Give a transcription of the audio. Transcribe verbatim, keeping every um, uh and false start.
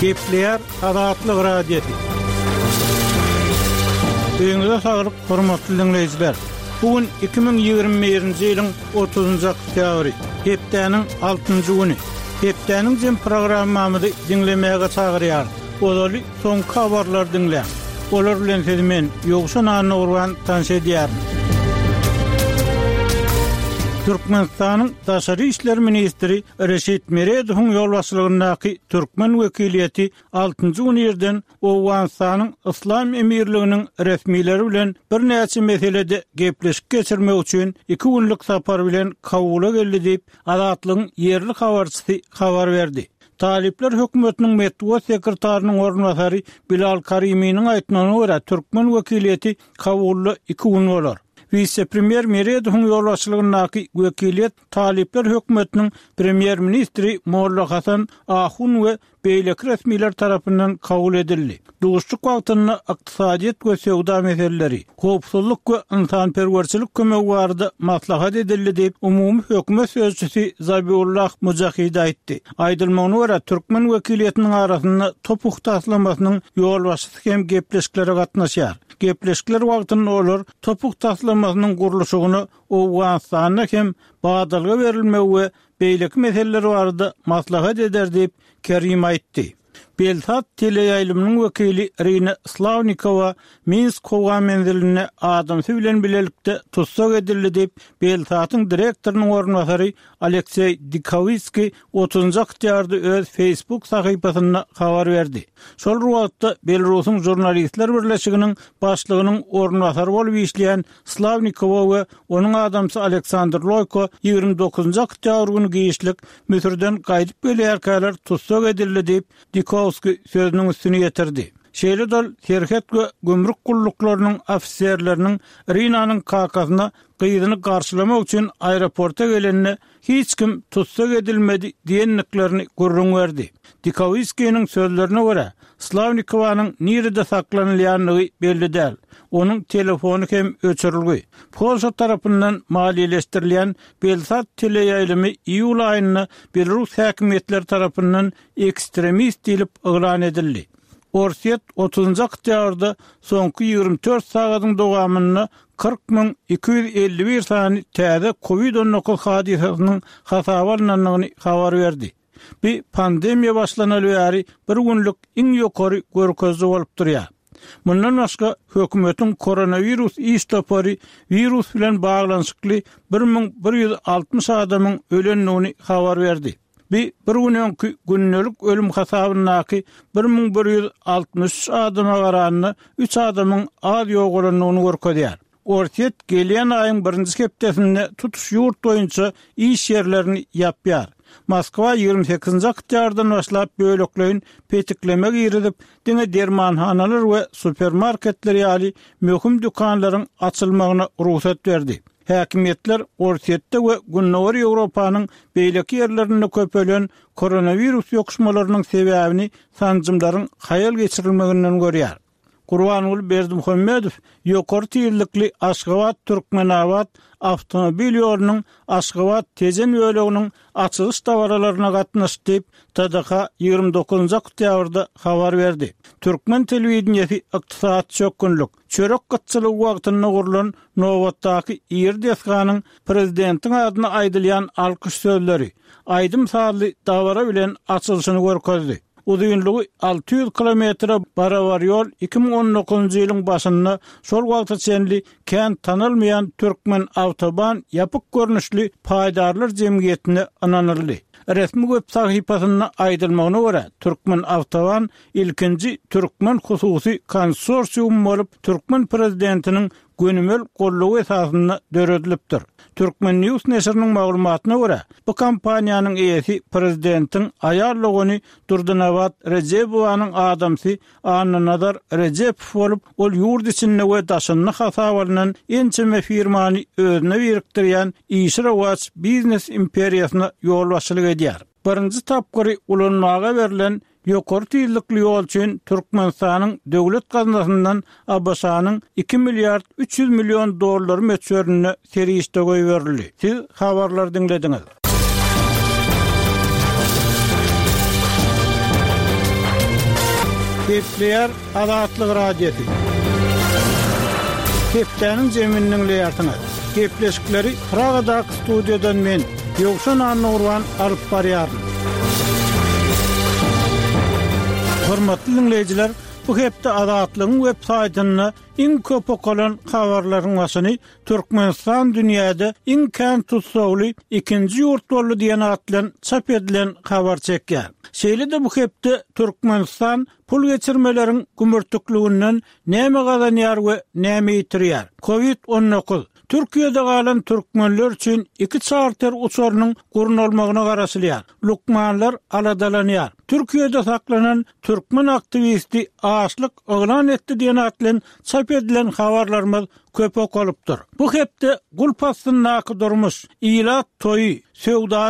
Gepleýär Azatlyk Radiosy. Öýüňize saglyk, hormatly diňleýjiler. Bu gün iki müň ýigrimi birinji ýylyň otuzynjy oktýabry, hepdäniň altynjy güni. Hepdäniň jem programmamyzy diňlemäge çagyrýarys. Ozaly soňky habarlary diňläň. Olar bilen sizi men, Ýowşan Annagurban tanyş edýärin. Türkmenistanyň Daşary işler ministri Reşit Meredowyň ýolbaşçylygyndaky türkmen wekiliýeti altynjy gün irden Owganystanyň Yslam Emirliginiň resmileri bilen birnäçe meselede gepleşik geçirmek üçin iki günlük sapar bilen Kabula geldi diýip, Azatlygyň ýerli habarçysy habar berdi. Talyplar hökümetiniň metbugat sekretarynyň orunbasary Bilal Kariminiň aýtmagyna görä, türkmen wekiliýeti Kabulda iki gün bolar. Wise-premýer Meredowyň ýolbaşçylygyndaky wekiliýet talyplar hökümetiniň premýer-ministri Molla Hasan Ahun we beýleki resmiler tarapyndan kabul edildi. Duşuşyk wagtynda ykdysadyýet we söwda meseleleri, howpsuzlyk we ynsanperwerçilik kömegi barada maslahat edildi diýip, umumy hökümet sözçüsi Zabiullah Mujahid aýtdy. Aýdylmagyna görä, türkmen wekiliýetiniň arasynda TOPH taslamasynyň ýolbaşçysy hem gepleşiklere gatnaşýar. Gepleşikler wagtynda olar TOPH taslamasynyň gurluşygyna Owganystanda hem badalga berilmegi we beýleki meseleler barada maslahat eder diýip, Kerim aýtdy. Belsat teleýaýlymynyň wekili Irina Slawnikowa Minsk howa menzilinde adamsy bilen bilelikde tussag edildi diýip, Belsatyň direktorynyň orunbasary Alekseý Dikowskiý otuzynjy oktýabrda öz Facebook sahypasynda habar berdi. Şol bir wagtda, Belarusyň Žurnalistler birleşiginiň başlygynyň orunbasary bolup işleýän Slawnikowa we onuň adamsy Aleksandr Loýko ýigrimi dokuzynjy oktýabr güni giçlik Müsürden gaýdyp gelýärkäler tussag edildi diýip, Dikowskiý sözüniň üstüni ýetirdi. Şeýle-de ol serhet we gümrük gulluklarynyň ofiserleriniň Irinanyň kakasyna gyzyny garşylamak üçin aeroporta gelende hiç kim tussag edilmedi diýendiklerini gürrüň berdi. Dikowskiniň sözlerine görä, Slawnikowanyň nirede saklanylýandygy belli däl. Onuň telefony hem öçürilgi. Polşa tarapyndan maliýeleşdirilýän Belsat teleýaýlymy iýul aýynda belarus häkimiýetleri tarapyndan ekstremist diýlip yglan edildi. Orsýet otuzynjy oktýabrda soňky ýigrimi dört sagadyň dowamynda kyrk müň iki ýüz elli bir sany täze covid on dokuz hadysasynyň hasaba alnandygyny habar berdi. Bu pandemiýa başlanaly bäri bir günlük iň ýokary görkeziji bolup durýar. Mundan başga, hökümetiň koronawirus iş topary wirus bilen baglanyşykly bir müň bir ýüz altmyş adamyň ölendigini habar berdi. Bu bir gün öňki gündelik ölüm hasabyndaky bir müň bir ýüz altmyş üç adama garanda üç adamyň az ýogalandygyny görkezýär. Orsýet gelýän aýyň birinji hepdesinde tutuş ýurt boýunça iş ýerlerini ýapýar. Moskwa ýigrimi sekizinji oktýabrdan başlap bölekleýin petikleme girizip, diňe dermanhanalar we supermarketler ýaly möhüm dükanlaryň açylmagyna rugsat berdi. Häkimiýetler Orsýetde we Gündogar Ýewropanyň beýleki ýerlerinde köpelen koronawirus ýokuşmalarynyň sebäbini sanjymlaryň haýal geçirilmeginden görýär. Gurbanguly Berdimuhamedow ýokary tizlikli Aşgabat-Türkmenabat awtomobil ýolunyň Aşgabat-Tejen böleginiň açylyş dabaralaryna gatnaşdy diýip, T D H ýigrimi dokuzynjy oktýabrda habar berdi. Türkmen telewideniýesi ykdysady çökgünlik, çörek gytçylygy wagtynda gurlan nobatdaky iri desganyň prezidentiň adyna aýdylýan alkyş sözleri, aýdym-sazly dabara bilen açylyşyny görkezdi. Uzynlygy alty ýüz kilometre barabar ýol iki müň on dokuzynjy ýylyň başynda şol wagta çenli kän tanalmaýan Türkmen Awtoban ýapyk görnüşli paýdarlar jemgyýetine ynanyldy. Resmi web sahypasynda aýdylmagyna görä, Türkmen Awtoban ilkinji türkmen hususy konsorsiumy bolup, türkmen prezidentiniň gönümel goldawy esasynda döredilipdir. Turkmen News neşiriniň maglumatyna görä, bu kompaniýanyň eýesi prezidentiň aýal dogany Durdynabat Rejebowanyň adamsy Annanazar Rejepow bolup, ol ýurt içinde we daşynda hasaba alnan ençeme firmany özüne birikdirýän işi rowaç biznes imperiýasyna ýolbaşçylyk edýär. Birinji tapgyry ulanmaga berlen ýokary tizlikli ýol üçin Türkmenistanyň döwlet gaznasyndan A B Ş-nyň iki milliard üç ýüz million dollar möçberinde serişde goýberildi. Siz habarlary diňlediňiz. Gepleýär Azatlyk Radiosy. Hepdäniň jemini diňleýärsiňiz. Gepleşikleri Pragadaky studiýadan men, Ýowşan Annagurban alyp barýaryn. Hormatly diňleýjiler, bu hepde Azatlygyň web saýtynda iň köp okalan habarlaryň başyny Türkmenistan dünýäde iň kän tussagly ikinji ýurt boldy diýen at bilen çap edilen habar çekýär. Şeýle-de bu hepde Türkmenistan pul geçirmeleriň gümürtikliginden näme gazanýar we näme ýitirýär? Covid on dokuz, Türkiýede galan türkmenler üçin iki çarter uçarynyň gurnalmagyna garaşylýar. Lukmanlar aladalanýar. Türkiýede saklanan türkmen aktiwisti açlyk yglan etdi diýen at bilen çap edilen habarlarymyz köp okalypdyr. Bu hepde gulp astyndaky durmuş, ilat toýy, söwdany